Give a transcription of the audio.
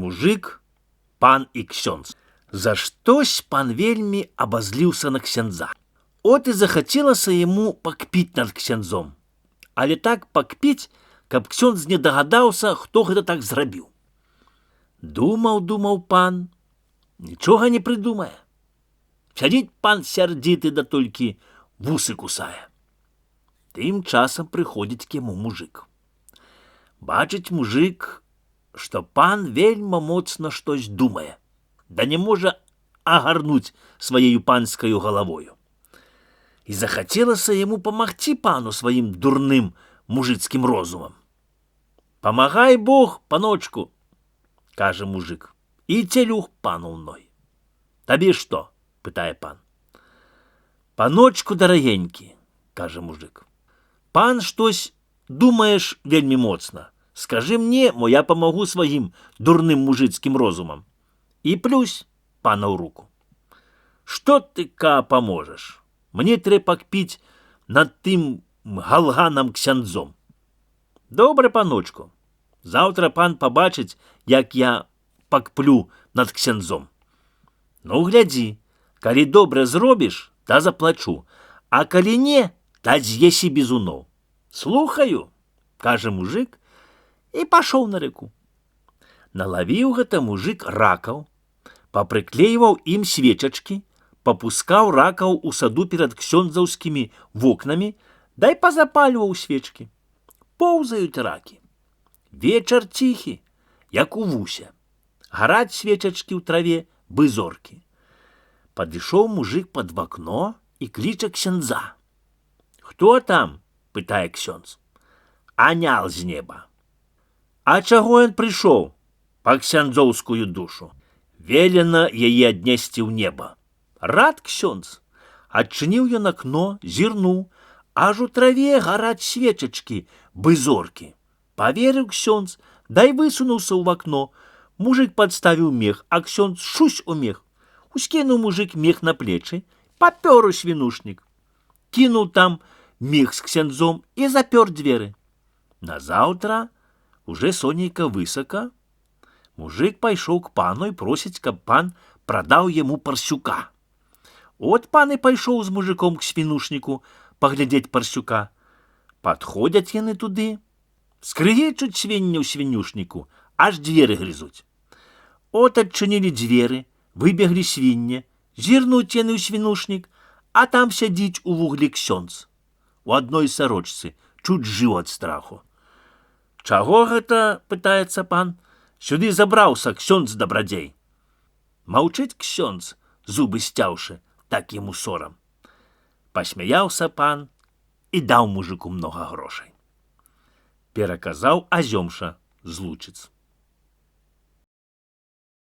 мужик, пан і ксёндз. За штось пан вельмі абазліўся на ксяндза. От і захацелася яму пакпіць над ксяндзом. Але так пакпіць, каб ксёндз не дагадаўся, хто гэта так зрабіў. Думаў пан, нічога не прыдумае. Сядзіць пан сярдзіты, да толькі вусы кусае. Тым часам прыходзіць к яму мужик. Бачыць мужик, што пан вельма моцна штось думае, да не можа агарнуць сваею панскаю галавою. І захацелася яму памагчы пану сваім дурным мужыцкім розумам. «Памагай Бог, паночку», — кажа мужик, і целюх пану мной. «Табе што?» — пытае пан. «Паночку дарагенькі», — кажа мужик, «пан штось думаеш вельмі моцна. Скажы мне, мо я памагу сваім дурным мужыцкім розумам. І плюсь пана ў руку. Што ты, паможаш? Мне трэба пакпіць над тым галганам ксяндзом». «Добре, паночку. Заўтра пан пабачыць, як я пакплю над ксяндзом. Ну, глядзі, калі добра зробіш, та заплачу, а калі не, та з'есі бізуноў». «Слухаю», — кажа мужик, і пашоў на рэку. Налавіў гэта мужик ракаў, папрыклейваў ім свечачкі, папускаў ракаў у саду перад ксёндзаўскімі вокнамі, дай пазапальваў свечкі. Поўзаюць ракі. Вечар ціхі, як у вусе. Гараць свечачкі ў траве, бы зоркі. Падышоў мужик пад вакно і кліча ксяндза. «Хто там?» — пытае ксёндз. «Анял з неба». «А чаго ён прыйшоў?» «Па ксяндзоўскую душу. Велена яе аднесці ў неба». Рад ксёндз. Адчыніў ён акно, зірнуў, аж у траве гараць свечачкі, бы зоркі. Паверыў ксёндз, дай высунуўся ў вакно. Мужик падставіў мех, а ксёндз шусь у мех. Ускінуў мужик мех на плечы, папёр у свінушнік. Кінуў там мех з ксяндзом і запёр дзверы. Назаўтра, уже сонейка высака, мужик пайшоў к пану і просіць, каб пан прадаў яму парсюка. От пан і пайшоў з мужиком к свінушніку паглядзець парсюка. Падходзяць яны туды, скрыгечуць свінні ў свінюшніку, аж дзверы грызуць. От адчынілі дзверы, выбеглі свінне, зірнуць яны ў свінушнік, а там сядзіць у вуглі ксёндз. У адной сарочцы, чуць жыў ад страху. «Чаго гэта?» — пытаецца пан. «Сюды забраўся ксёндз дабрадзей». Маўчыць ксёндз, зубы сцяўшы, так яму сорам. Пасмяяўся пан і даў мужику многа грошай. Пераказаў Азёмша з Лучыц.